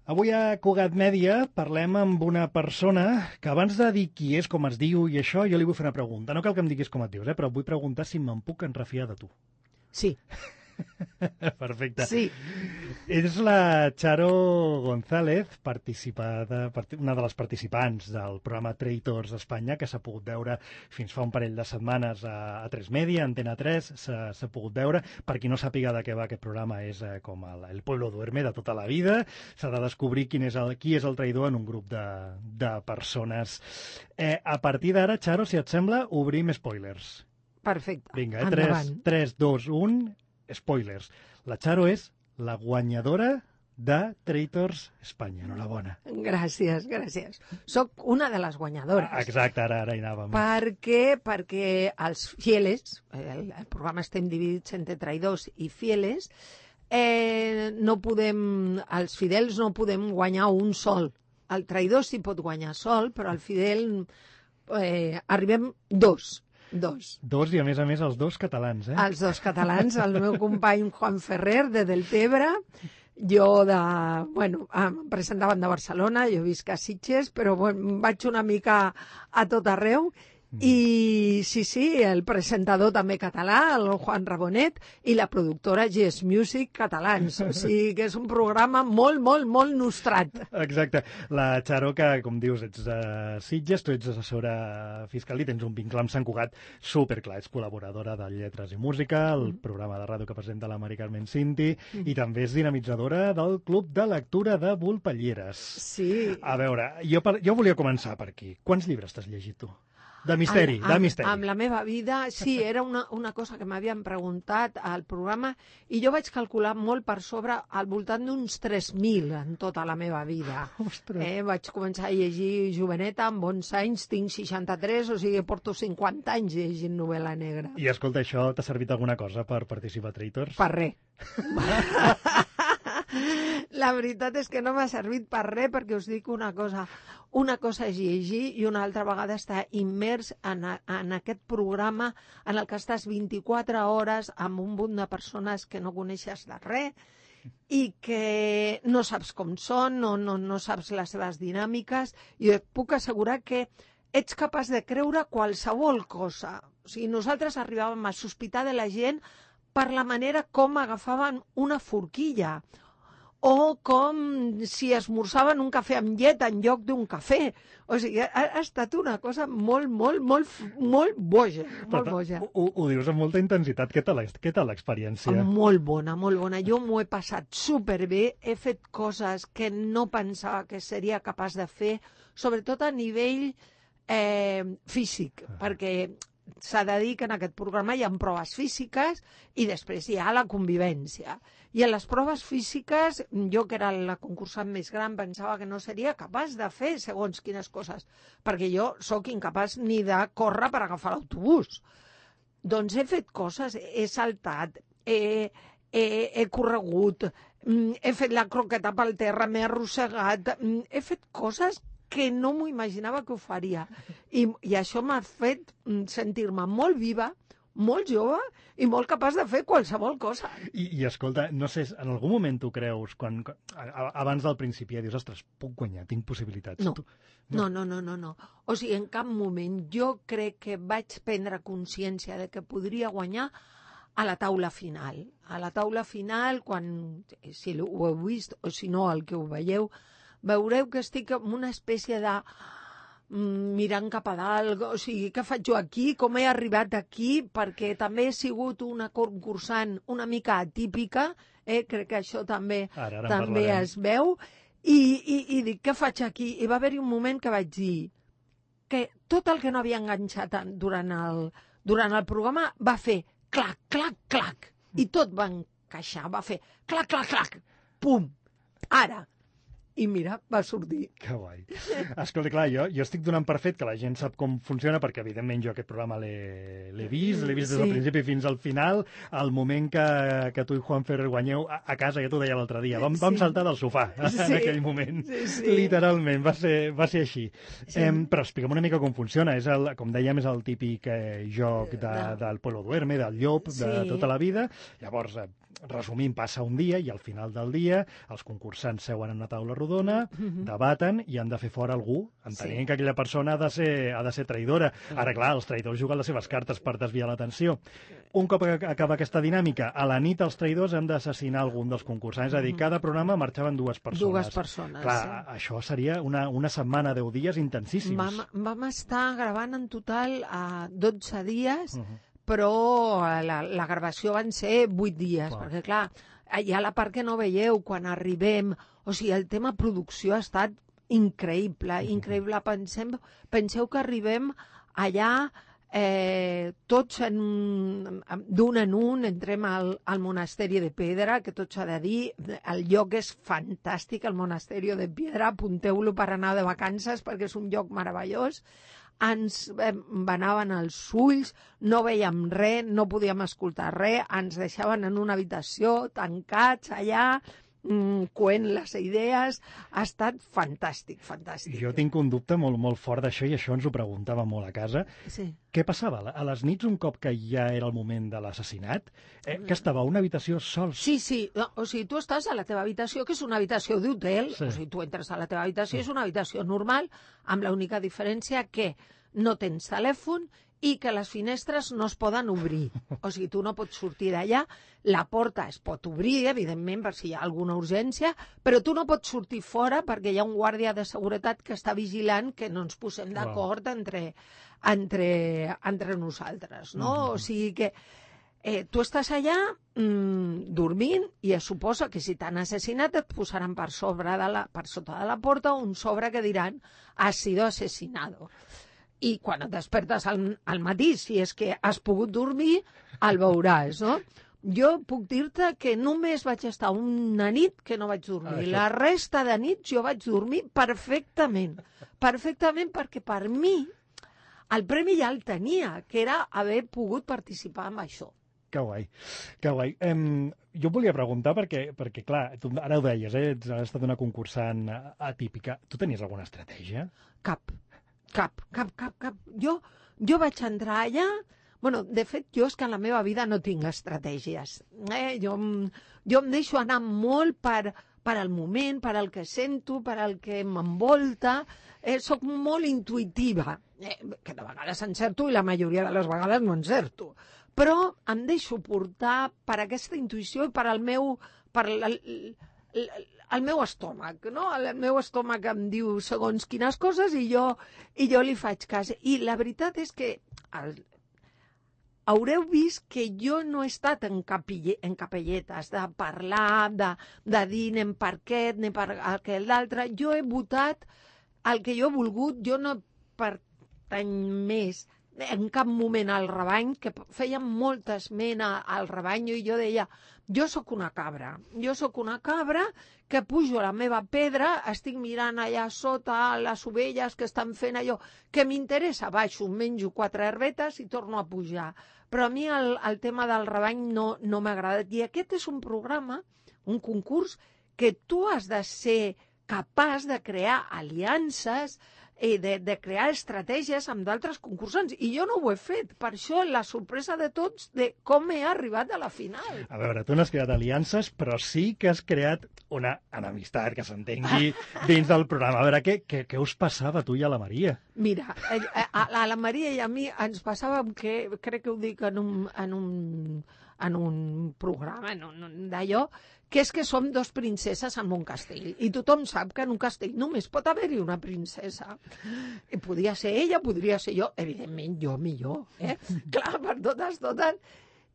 Avui a Cugat Mèdia parlem amb una persona que abans de dir qui és, com es diu i això, jo li vull fer una pregunta. No cal que em diguis com et dius, però vull preguntar si me'n puc enrefiar de tu. Sí. Perfecte. Sí. És la Charo González, una de les participants del programa Traitors Espanya, que s'ha pogut veure fins fa un parell de setmanes a 3 Media, Antena 3, s'ha pogut veure. Per qui no sàpiga de què va aquest programa, és com el Pueblo Duerme de tota la vida. S'ha de descobrir qui és el traïdor en un grup de persones. A partir d'ara, Charo, si et sembla, obrim spoilers. Perfecte. Vinga, endavant. 3, 2, 1... Spoilers. La Charo és la guanyadora de Traitors Espanya. Enhorabona. Gràcies. Soc una de les guanyadores. Exacte, ara hi anàvem. Perquè els fieles, el programa estem dividits entre traïdors i fieles, els fidels no podem guanyar un sol. El traïdor sí pot guanyar sol, però el fidel arribem dos, i a més els dos catalans, eh? Els dos catalans, el meu company Juan Ferrer, de Deltebre, jo em presentaven de Barcelona, jo visc a Sitges, però vaig una mica a tot arreu, i sí, el presentador també català, el Juan Rabonet, i la productora Yes Music catalans. O sigui que és un programa molt nostrat. Exacte. La Charo, que com dius, ets de Sitges, tu ets assessora fiscal i tens un vincle amb Sant Cugat superclar. Ets col·laboradora de Lletres i Música, el programa de ràdio que presenta la Mari Carmen Cinti, i també és dinamitzadora del Club de Lectura de Volpelleres. Sí. A veure, jo volia començar per aquí. Quants llibres t'has llegit tu? De misteri. Amb la meva vida, sí, era una cosa que m'havien preguntat al programa i jo vaig calcular molt per sobre al voltant d'uns 3.000 en tota la meva vida. Vaig començar a llegir joveneta amb 11 anys, tinc 63, o sigui, porto 50 anys llegint novel·la negra. I escolta, això t'ha servit alguna cosa per participar a Traitors? Per res. La veritat és que no m'ha servit per res, perquè us dic una cosa és llegir i una altra vegada estar immers en aquest programa en el que estàs 24 hores amb un munt de persones que no coneixes de res i que no saps com són, no saps les seves dinàmiques, i et puc assegurar que ets capaç de creure qualsevol cosa. O sigui, nosaltres arribàvem a sospitar de la gent per la manera com agafaven una forquilla, o com si esmorzaven un cafè amb llet en lloc d'un cafè. O sigui, ha estat una cosa molt boja. Molt boja. Ho dius amb molta intensitat. Què tal l'experiència? Molt bona. Jo m'ho he passat superbé. He fet coses que no pensava que seria capaç de fer, sobretot a nivell físic, perquè s'ha de dir que en aquest programa hi ha proves físiques i després hi ha la convivència. I en les proves físiques, jo que era la concursant més gran, pensava que no seria capaç de fer segons quines coses, perquè jo sóc incapaç ni de córrer per agafar l'autobús. Doncs he fet coses, he saltat, he corregut, he fet la croqueta pel terra, m'he arrossegat, he fet coses que no m'ho imaginava que ho faria. I això m'ha fet sentir-me molt viva, molt jove i molt capaç de fer qualsevol cosa. I escolta, no sé, en algun moment tu creus, abans del principi ja dius, ostres, puc guanyar, tinc possibilitats? No. O sigui, en cap moment jo crec que vaig prendre consciència de que podria guanyar a la taula final. A la taula final, quan, si ho heu vist o si no el que ho veieu, veureu que estic en una espècie de mirant cap a dalt, o sigui, què faig jo aquí, com he arribat aquí, perquè també he sigut una concursant una mica atípica, crec que això també es veu, i dic, què faig aquí? I va haver-hi un moment que vaig dir que tot el que no havia enganxat durant el programa va fer clac, clac, clac, i tot va encaixar, va fer clac, clac, clac, pum, ara. I mira, va sortir. Que guai. Escolta, clar, jo estic donant per fet que la gent sap com funciona, perquè evidentment jo aquest programa l'he vist des del principi fins al final. Al moment que tu i Juan Ferrer guanyeu a casa, ja t'ho deia l'altre dia, vam saltar del sofà en aquell moment. Literalment, va ser així. Però explica'm una mica com funciona. Com dèiem, és el típic joc del Pueblo Duerme, del llop, de tota la vida. Llavors, resumint, passa un dia i al final del dia els concursants seuen en una taula rodona rodona, debaten i han de fer fora algú, entenent que aquella persona ha de ser traïdora. Ara, clar, els traïdors juguen les seves cartes per desviar l'atenció. Un cop acaba aquesta dinàmica, a la nit els traïdors han d'assassinar algun dels concursants, és a dir, cada programa marxaven dues persones. Dues persones, clar, això seria una setmana, 10 dies intensíssims. Vam estar gravant en total 12 dies, però la gravació van ser 8 dies, perquè clar, hi ha la part que no veieu quan arribem, o sigui, el tema producció ha estat increïble, increïble. Penseu que arribem allà tots d'un en un, entrem al Monasteri de Pedra, que tot s'ha de dir, el lloc és fantàstic, el Monasteri de Pedra, apunteu-lo per anar de vacances perquè és un lloc meravellós. Ens venaven els ulls, no veiem res, no podíem escoltar res, ens deixaven en una habitació, tancats allà, coent les idees. Ha estat fantàstic, fantàstic. Jo tinc un dubte molt, molt fort d'això, i això ens ho preguntava molt a casa. Sí. Què passava? A les nits, un cop que ja era el moment de l'assassinat, que estava a una habitació sols? Sí. No, o sigui, tu estàs a la teva habitació, que és una habitació d'hotel, o sigui, tu entres a la teva habitació, és una habitació normal, amb l'única diferència que no tens telèfon i que les finestres no es poden obrir. O sigui, tu no pots sortir d'allà, la porta es pot obrir, evidentment, per si hi ha alguna urgència, però tu no pots sortir fora perquè hi ha un guàrdia de seguretat que està vigilant que no ens posem d'acord entre nosaltres, no? O sigui que tu estàs allà dormint i es suposa que si t'han assassinat et posaran per sota de la porta un sobre que diran «has sido asesinado». I quan et despertes al matí, si és que has pogut dormir, el veuràs, no? Jo puc dir-te que només vaig estar una nit que no vaig dormir. La resta de nits jo vaig dormir perfectament. Perfectament, perquè per mi el premi ja el tenia, que era haver pogut participar en això. Que guai, que guai. Jo volia preguntar perquè clar, tu ara ho deies, has estat una concursant atípica. Tu tenies alguna estratègia? Cap. Jo vaig entrar allà. Bueno, de fet, jo és que en la meva vida no tinc estratègies. Jo em deixo anar molt per al moment, per al que sento, per al que m'envolta. Soc molt intuïtiva, que de vegades encerto i la majoria de les vegades no encerto. Però em deixo portar per aquesta intuïció i per al meu estómac, no? El meu estómac em diu segons quines coses i jo li faig cas. I la veritat és que haureu vist que jo no he estat en capelletes de parlar, de dir anem per aquest, anem per aquell d'altre. Jo he votat el que jo he volgut, jo no pertany més en cap moment al Rebany, que feia molta esmena al Rebany, i jo deia, jo sóc una cabra que pujo a la meva pedra, estic mirant allà sota les ovelles que estan fent allò, que m'interessa, baixo, menjo 4 herbetes i torno a pujar. Però a mi el tema del Rebany no m'ha agradat. I aquest és un programa, un concurs, que tu has de ser capaç de crear aliances, de crear estratègies amb d'altres concursants, i jo no ho he fet. Per això la sorpresa de tots de com he arribat a la final. A veure, tu no has creat aliances, però sí que has creat una enemistat, que s'entengui, dins del programa. A veure, què us passava a tu i a la Maria? Mira, a la Maria i a mi ens passava, que crec que ho dic en un programa d'allò, que és que som 2 princeses en un castell. I tothom sap que en un castell només pot haver-hi una princesa. I podia ser ella, podria ser jo. Evidentment, jo millor. Clar, per totes.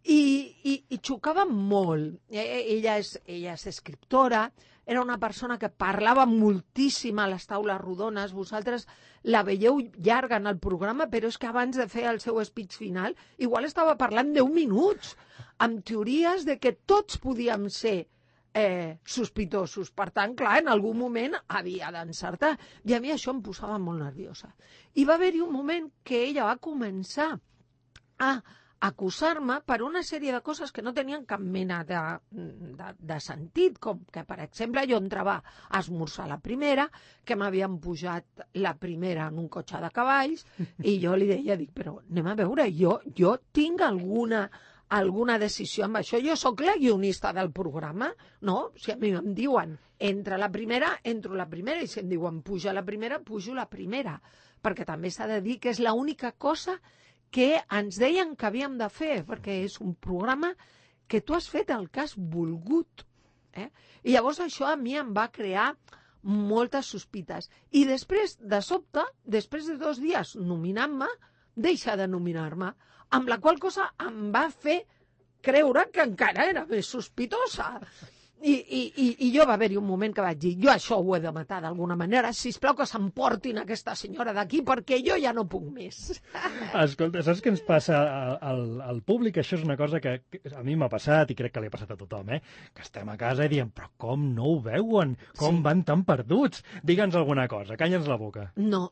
I xocava molt. Ella és escriptora, era una persona que parlava moltíssim a les taules rodones. Vosaltres la veieu llarga en el programa, però és que abans de fer el seu speech final, igual estava parlant 10 minuts, amb teories de que tots podíem ser sospitosos. Per tant, clar, en algun moment havia d'encertar. I a mi això em posava molt nerviosa. I va haver-hi un moment que ella va començar a acusar-me per una sèrie de coses que no tenien cap mena de sentit, com que, per exemple, jo entrava a esmorzar la primera, que m'havien pujat la primera en un cotxe de cavalls, i jo li deia, però anem a veure, jo tinc alguna decisió amb això. Jo sóc la guionista del programa, no? Si a mi em diuen entra la primera, entro la primera, i si em diuen puja la primera, pujo la primera, perquè també s'ha de dir que és l'única cosa que ens deien que havíem de fer, perquè és un programa que tu has fet el que has volgut. I llavors això a mi em va crear moltes sospites. I després, de sobte, després de 2 dies nominant-me, deixa de nominar-me, amb la qual cosa em va fer creure que encara era més sospitosa. I jo va haver-hi un moment que vaig dir, jo això ho he de matar d'alguna manera, sisplau que s'emportin aquesta senyora d'aquí perquè jo ja no puc més. Escolta, saps què ens passa al públic? Això és una cosa que a mi m'ha passat i crec que li ha passat a tothom, que estem a casa i diem, però com no ho veuen? Com van tan perduts? Digue'ns alguna cosa, calla'ns la boca. No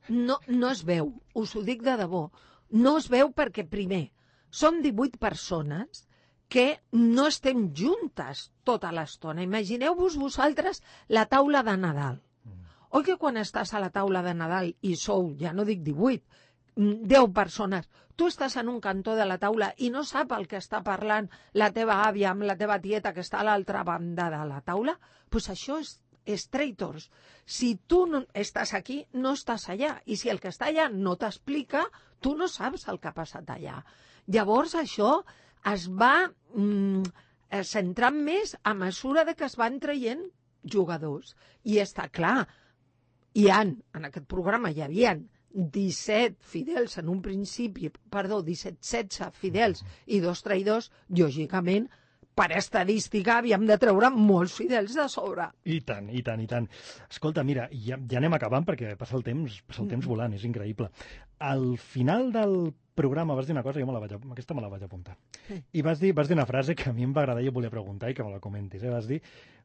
es veu, us ho dic de debò. No es veu perquè, primer, som 18 persones que no estem juntes tota l'estona. Imagineu-vos vosaltres la taula de Nadal. Oi que quan estàs a la taula de Nadal i sou, ja no dic 18, 10 persones, tu estàs en un cantó de la taula i no sap el que està parlant la teva àvia amb la teva tieta que està a l'altra banda de la taula? Doncs això és traitors. Si tu no estàs aquí, no estàs allà. I si el que està allà no t'explica, tu no saps el que ha passat allà. Llavors això es va centrant més a mesura de que es van traient jugadors. I està clar, en aquest programa hi havia 17 fidels en un principi, 16 fidels i 2 traïdors, lògicament, per estadística havíem de treure molts fidels de sobre. I tant, i tant, i tant. Escolta, mira, ja anem acabant perquè passa el temps volant, és increïble. Al final del programa vas dir una cosa, aquesta me la vaig apuntar. I vas dir una frase que a mi em va agradar i jo volia preguntar i que me la comentis. Vas dir,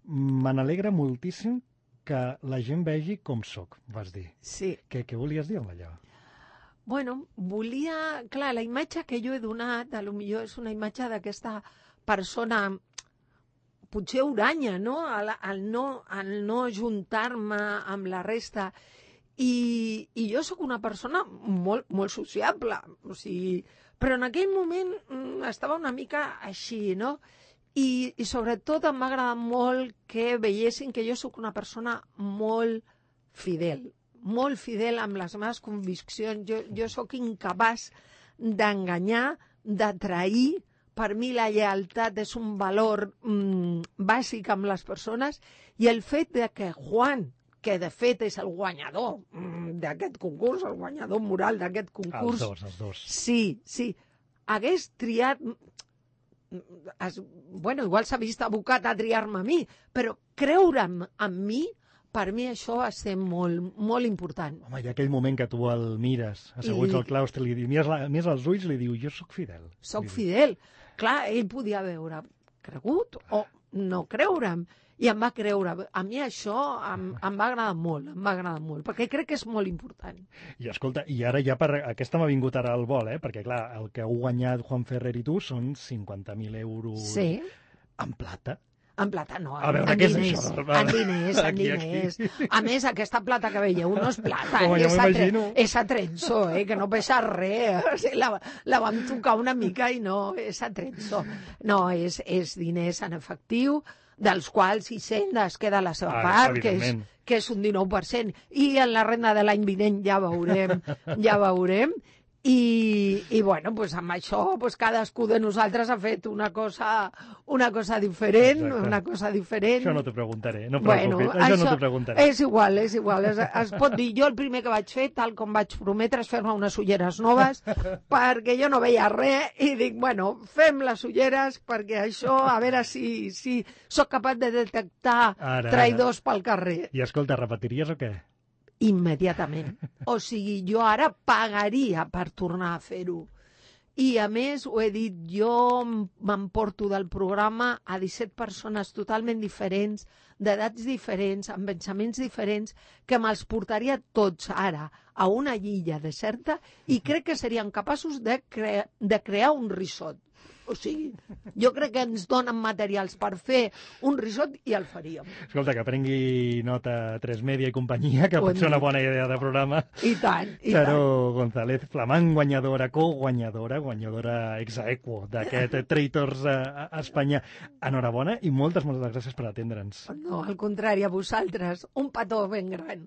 me n'alegra moltíssim que la gent vegi com sóc, vas dir. Sí. Què volies dir amb allò? Bueno, volia... Clar, la imatge que jo he donat, potser és una imatge d'aquesta persona potser uranya, no? Al no juntar-me amb la resta. I jo sóc una persona molt, molt sociable, o sigui, però en aquell moment estava una mica així, no? I sobretot em va agradar molt que veiessin que jo sóc una persona molt fidel amb les meves conviccions. Jo sóc incapaç d'enganyar, de trair. Per mi la lleialtat és un valor bàsic amb les persones i el fet de que Juan, que de fet és el guanyador d'aquest concurs, el guanyador moral d'aquest concurs... Els dos. Sí, hagués triat... Bueno, igual s'ha vist abocat a triar-me a mi, però creure'm en mi, per mi això va ser molt, molt important. Home, hi ha aquell moment que tu el mires, asseguts al claustre, li mires als ulls i li diu, jo sóc fidel. Soc fidel. Clar, ell podia veure cregut o no creure'm. I em va creure. A mi això em va agradar molt, perquè crec que és molt important. I escolta, i ara ja aquesta m'ha vingut ara al vol, perquè clar, el que heu guanyat Juan Ferrer i tu són 50.000 euros en plata. En plata no, a veure, què és això? En diners. A més, aquesta plata que veieu no és plata, és atrenzo, que no pesa res. La vam tocar una mica i no, és atrenzo. No, és diners en efectiu, dels quals Hisenda es queda la seva part, que és un 19%, i en la renda de l'any vinent ja veurem. I bueno, pues amb això pues cadascú de nosaltres ha fet una cosa diferent. Exacte. Una cosa diferent. Això no t'ho preguntaré, no preocupis, això no t'ho preguntaré. És igual. Es pot dir, jo el primer que vaig fer, tal com vaig prometre, és fer-me unes ulleres noves, perquè jo no veia res, i dic, bueno, fem les ulleres, perquè això, a veure si sóc capaç de detectar traïdors pel carrer. I escolta, repetiries o què? Immediatament. O sigui, jo ara pagaria per tornar a fer-ho. I, a més, ho he dit, jo m'emporto del programa a 17 persones totalment diferents, d'edats diferents, amb pensaments diferents, que me'ls portaria tots ara a una illa deserta i crec que serien capaços de crear un risot. O sigui, jo crec que ens donen materials per fer un risot i el faríem. Escolta, que prengui nota 3 Media i companyia, que pot ser una bona idea de programa. I tant, i Charo tant. González, flamant guanyadora, guanyadora ex aequo d'aquest Traitors a Espanya. Enhorabona i moltes gràcies per atendre'ns. No, al contrari, a vosaltres. Un petó ben gran.